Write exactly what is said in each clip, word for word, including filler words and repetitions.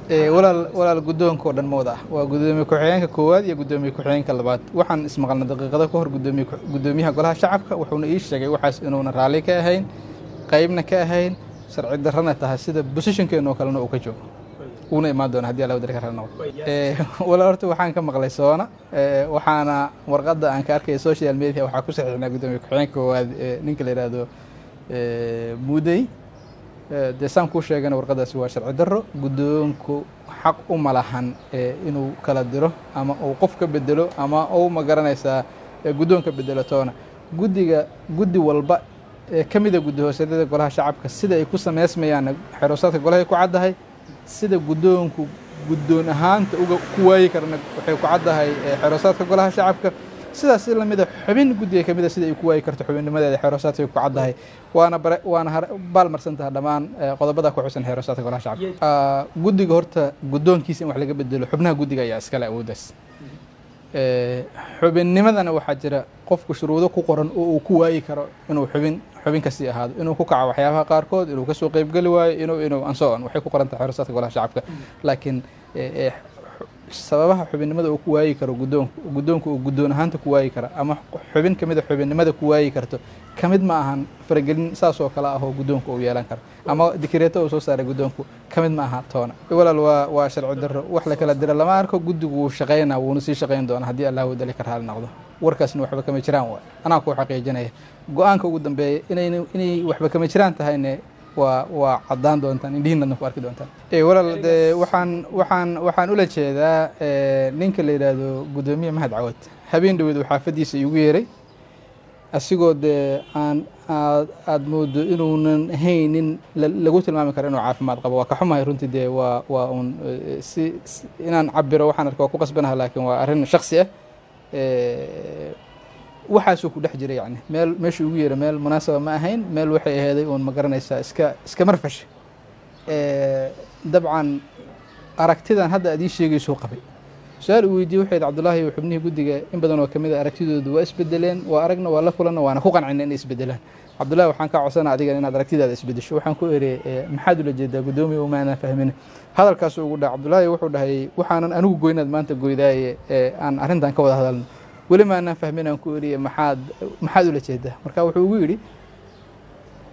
Walaal, walaal, guddoonka oo dhan ma wada ah, waa guddoomiye ku-xigeenka koowaad iyo guddoomiye ku-xigeenka labaad. Waxaan ismaqalna daqiiqado ka hor gudoomiye guddoomiyaha golaha shacabka, wuxuuna ii sheegay waxaas inuuna raalli ka ahayn, qaybna ka ahayn, sharci darrana tahay, sida positionkeena oo kalena uu ka joogo, wuuna imaan doona haddii Alla wadari ka raalli noqdo. Walaal, horta waxaan ka maqlay soona, waxaana warqadda aan ka arkaya social media waxaa ku saxiixnaa guddoomiye ku-xigeenka koowaad ninka la yidhaahdo Muudey. Dee saan kuu sheegana, warqadaasi waa sharci darro. Guddoonku xaq uma lahan inuu kala diro ama uu qof ka bedelo ama uu, ma garanaysaa, guddoonka bedelo toona. Guddiga, guddi walba ee ka mida guddi hoosyadada golaha shacabka, sida ay ku sameysmayaanna xeroosaadka golahay ku caddahay. Sida guddoonku guddoon ahaanta uga ku waayi karana waxay ku caddahay xeroosaadka golaha shacabka. Sidaas si lamida xubin guddiga ka mida sida ay ku waayi karto xubinnimadeeda xeroosaadka ku caddahay, waana bare waana baalmarsan taha dhammaan qodobada ku xusan xeroosaadka golaha shacabka. Guddiga horta guddoonkiisa in wax laga bedelo xubnaha guddiga ayaa iskale awooddaas. Xubinnimadana waxaa jira qofku shuruudo ku qoran oo uu ku waayi karo inuu xubin xubin kasii ahaado, inuu ku kaco waxyaabaha qaarkood, inuu kasoo qeybgeli waayo, inuu inuu and so on. Waxay ku qoran tahay xeroosaadka golaha shacabka. Laakiin sababaha xubinnimada uu ku waayi karo guddoonku, guddoonku uu guddoon ahaanta ku waayi kara ama xubin ka mida xubinnimada ku waayi karto, ka mid ma ahan faragelin saas oo kale ah oo guddoonku uu yeelan karo ama dikireeto uu soo saaray guddoonku, ka mid ma aha toona. Walaal, waa waa sharci darro, wax la kala dira lama arko. Guddigu wuu shaqeynaa, wuuna sii shaqeyn doonaa haddii Allah wadali ka raali noqdo. Warkaasna waxba kama jiraan waay, anaa kuu xaqiijinaya. Go-aanka ugu dambeeya inay inay waxba kama jiraan tahayne waa waa caddaan doontaan, indhihiinadna ku arki doontaan. Walaal, dee waxaan waxaan waxaan ula jeedaa ninka la yidhaahdo guddoomiye Mahad Cawad habeen dhaweed uu xaafaddiisa iigu yeeray, asigoo dee aan aad aada moodo inuunan haynin lagu tilmaami karo inuu caafimaad qabo. Waa ka xumahay runtii, dee waa waa un si inaan cabiro waxaan arka waa ku qasbanaha, laakiin waa arrin shaksi ah. Waxaasuu ku dhex jiray, yani meel meeshuu ugu yeeray meel munaasaba ma ahayn, meel waxay aheeday uun, ma garanaysaa, iska iska marfash. Dabcan aragtidan hadda aad ii sheegaysuu qabay. Su-aal uu weydiiyey waxay Cabdullaahi, xubnihii guddiga in badan oo kamid a aragtidoodu waa isbedeleen, waa aragna, waa la kulanna, waana ku qancina inay isbedelaan. Cabdullahi, waxaan kaa codsana adigan inaad aragtidaada isbedesho. Waxaan ku eri, maxaad ula jeedaa, guddoomiye? Umaanaan fahmin hadalkaasuu ugu dhaha. Cabdullaahi wuxuu dhahay, waxaanan anigu goynaad maanta goydaaye aan arrintan ka wada hadalno, weli maanaan fahmin. Aan ku eriye, maxaad maxaad ula jeedaa? Marka wuxuu ugu yidhi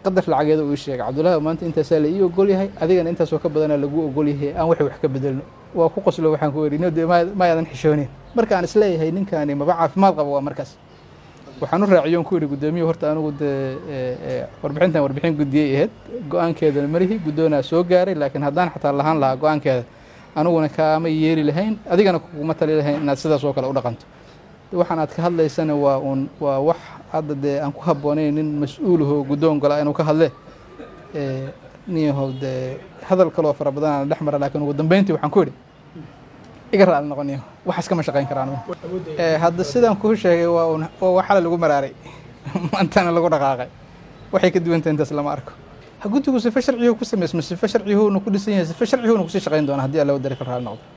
qadar lacageeda uu ii sheegay, Cabdullahi, maanta intaasaa la ii ogol yahay, adigana intaasoo ka badanaa lagu ogol yahay, aan waxay wax ka bedelno. Waa ku qoslo, waxaan ku eri, no, de ma yaadan xishoonin. Marka aan isleeyahay ninkani maba caafimaad qabo, waa markaas waxaan u raaciyoon ku yidhi, guddoomiye, horta anigu dee warbixintan warbixin guddiyey ahayd, go-aankeedana malihi, guddoonaa soo gaaray, laakiin haddaan xataa lahaan lahaa go-aankeeda, aniguna kaama yeeli lahayn, adigana kuguma tali lahayn inaad sidaas oo kale u dhaqanto. Waxaan aad ka hadlaysana waa uun waa wax hadda dee aan ku habboonayn nin mas-uulahoo guddoon gola inuu ka hadle. Niyahow, dee hadal kaloo fara badan aan dhex mara, laakiin ugu dambeyntii waxaan ku idhi, iga raali noqoniyo, waxaas kama shaqayn karaan. Hadda sidaan kuu sheegay waa un waa wax xalay lagu maraaray, maantana lagu dhaqaaqay, waxay ka duwanta intaas lama arko. Guddigu sife sharciyuhu ku samaysmo, sife sharciyuhuna ku dhisan yahay, sife sharciyuhuna kusii shaqayn doona haddii Alla wadari ka raali noqdo.